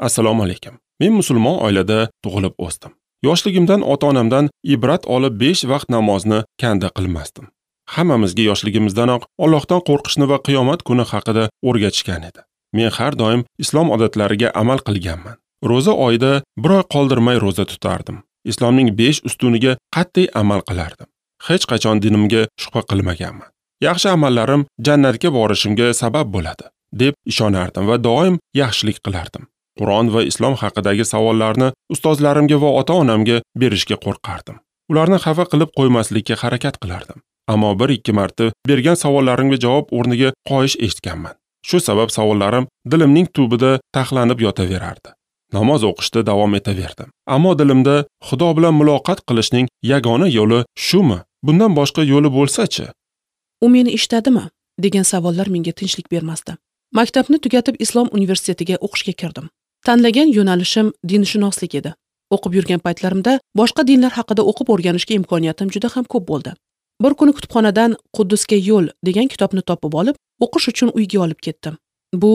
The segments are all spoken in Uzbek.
Assalomu alaykum. Men musulmon oilada tug'ilib o'sdim. Yoshligimdan ota-onamdan ibrat olib 5 vaqt namozni kanda qilmasdim. Hammamizga yoshligimizdanoq Allohdan qo'rqishni va qiyomat kuni haqida o'rgatishgan edi. Men har doim islom odatlariga amal qilganman. Ro'za oyida bir oy qoldirmay ro'za tutardim. Islomning 5 ustuniga qat'iy amal qilardim. Hech qachon dinimga shubha qilmaganman. Yaxshi amallarim jannatga borishimga sabab bo'ladi deb ishonardim va doim yaxshilik qilardim. Qur'on va islom haqidagi savollarni ustozlarimga va ota-onamga berishga qo'rqardim. Ularni xafa qilib qo'ymaslikka harakat qilardim. Ammo 1-2 marta bergan savollarimga javob o'rniga qoyish eshitganman. Shu sabab savollarim dilimning tubida taxlanib yotaverardi. Namoz o'qishda davom etaverdim. Ammo dilimda Xudo bilan muloqot qilishning yagona yo'li shumi? Bundan boshqa yo'li bo'lsa-chi? U meni eshitadimi? Degan savollar menga tinchlik bermasdi. Maktabni tugatib Islom universitetiga o'qishga kirdim. Tanlagan yo'nalishim dinshunoslik edi. O'qib yurgan paytlarimda boshqa dinlar haqida o'qib o'rganishga imkoniyatim juda ham ko'p bo'ldi. Bir kuni kutubxonadan Quddusga yo'l degan kitobni topib olib, o'qish uchun uyga olib ketdim. Bu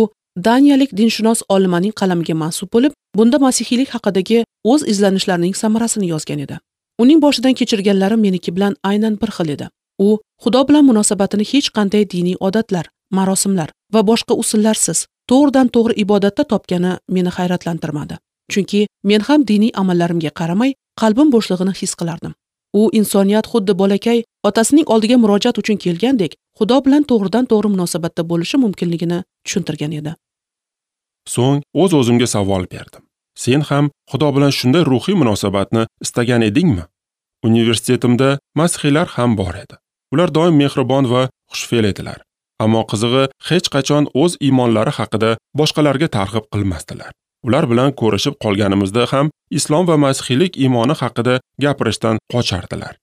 daniyalik dinshunos olimaning qalamiga mansub bo'lib, bunda masihiylik haqidagi o'z izlanishlarining samarasini yozgan edi. Uning boshidan kechirganlari meniki bilan aynan bir xil edi. U Xudo bilan munosabatini hech qanday diniy odatlar, marosimlar va boshqa usullarsiz to'g'ridan to'g'ri ibodatda topgani meni hayratlantirmadi. Chunki men ham diniy amallarimga qaramay, qalbim bo'shlig'ini his qilardim. U insoniyat xuddi bolakay otasining oldiga murojaat uchun kelgandek, Xudo bilan to'g'ridan to'g'ri munosabatda bo'lishi mumkinligini tushuntirgan edi. So'ng o'z-o'zimga savol berdim. Sen ham Xudo bilan shunday ruhiy munosabatni istagan edingmi? Universitetimda masihiylar ham bor edi. Ular doim mehribon va xushfe'l edilar. Ammo qizig'i hech qachon o'z iymonlari haqida boshqalarga targ'ib qilmasdilar. Ular bilan ko'rishib qolganimizda ham islom va masihiylik iymoni haqida gapirishdan qochardilar.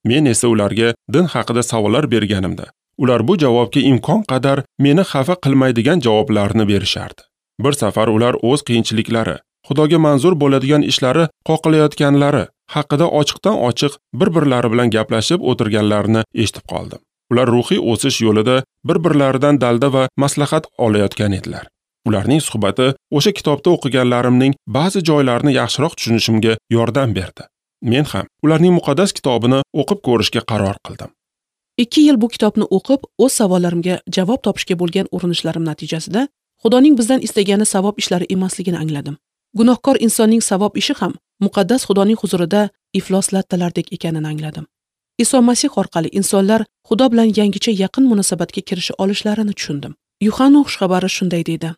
Men esa ularga din haqida savollar berganimda, ular bu javobga imkon qadar meni xafa qilmaydigan javoblarni berishardi. Bir safar ular o'z qiyinchiliklari, Xudoga manzur bo'ladigan ishlari qoqilayotganlari haqida ochiqdan ochiq bir-birlari bilan gaplashib o'tirganlarini eshitib qoldim. Ular ruhiy o'sish yo'lida bir-birlaridan dalda va maslahat olayotgan edilar. Ularning suhbati o'sha kitobda o'qiganlarimning ba'zi joylarini yaxshiroq tushunishimga yordam berdi. Men ham ularning muqaddas kitobini o'qib ko'rishga qaror qildim. 2 yil bu kitobni o'qib, o'z savollarimga javob topishga bo'lgan urinishlarim natijasida Xudoning bizdan istagani savob ishlari emasligini angladim. Gunohkor insonning savob ishi ham muqaddas Xudoning huzurida iflos lattalardek ekanini angladim. Iso Masih orqali insonlar Xudo bilan yangicha yaqin munosabatga kirisha olishlarini tushundim. Yuhanna xushxabari shunday deydi: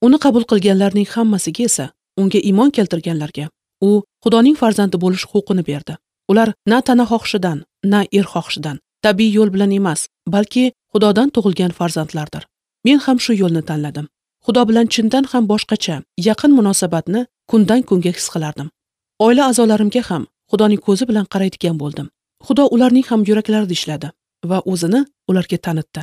Uni qabul qilganlarning hammasiga esa, unga iymon keltirganlarga u Xudoning farzandi bo'lish huquqini berdi. Ular na tana xohishidan, na er xohishidan, tabiiy yo'l bilan emas, balki Xudodan tug'ilgan farzandlardir. Men ham shu yo'lni tanladim. Xudo bilan chindan ham boshqacha yaqin munosabatni kundan kunga his qilardim. Oila a'zolarimga ham Xudoning ko'zi bilan qaraydigan bo'ldim. Xudo ularning ham yuraklarida ishladi va o'zini ularga tanitdi.